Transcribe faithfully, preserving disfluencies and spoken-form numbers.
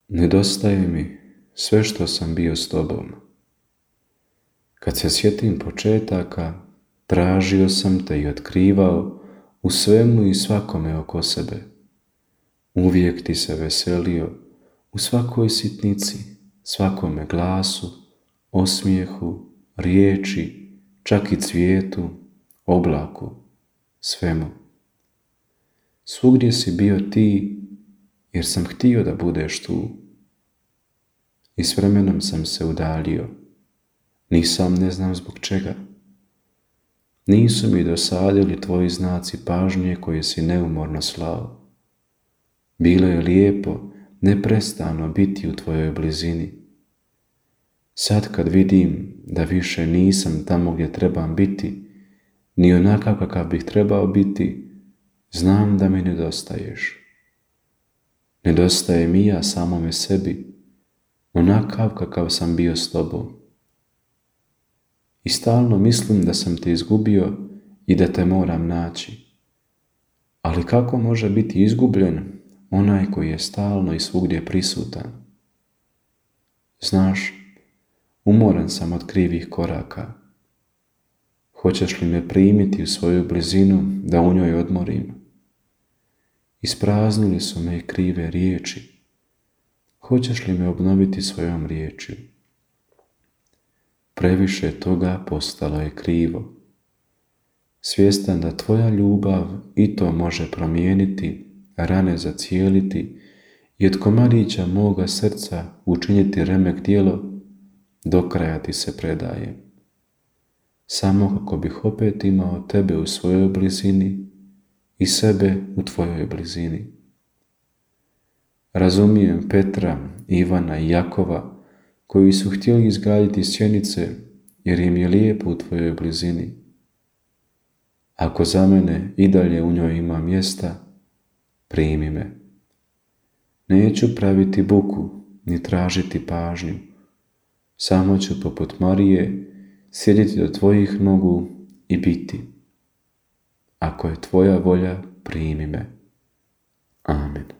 Nedostaje mi sve što sam bio s tobom. Kad se sjetim početaka, tražio sam te i otkrivao u svemu i svakome oko sebe. Uvijek ti se veselio u svakoj sitnici, svakome glasu, osmijehu, riječi, čak i cvijetu, oblaku, svemu. Svugdje si bio ti, jer sam htio da budeš tu. I s vremenom sam se udaljio, nisam ne znam zbog čega. Nisu mi dosadili tvoji znaci pažnje koje si neumorno slao. Bilo je lijepo neprestano biti u tvojoj blizini. Sad kad vidim da više nisam tamo gdje trebam biti, ni onakav kakav bih trebao biti, znam da mi nedostaješ. Nedostaje mi ja samome sebi, onakav kakav sam bio s tobom. I stalno mislim da sam te izgubio i da te moram naći. Ali kako može biti izgubljen onaj koji je stalno i svugdje prisutan? Znaš, umoran sam od krivih koraka. Hoćeš li me primiti u svoju blizinu da u njoj odmorim? Ispraznili su me krive riječi. Hoćeš li me obnoviti svojom riječju? Previše toga postalo je krivo. Svjestan da tvoja ljubav i to može promijeniti, rane zacijeliti i od komadića moga srca učiniti remek djelo, do kraja ti se predajem. Samo kako bih opet imao tebe u svojoj blizini i sebe u tvojoj blizini. Razumijem Petra, Ivana i Jakova koji su htjeli izgraditi sjenice jer im je lijepo u tvojoj blizini. Ako za mene i dalje u njoj ima mjesta, primi me. Neću praviti buku ni tražiti pažnju. Samo ću poput Marije sjediti do tvojih nogu i biti. Ako je tvoja volja, primi me. Amen.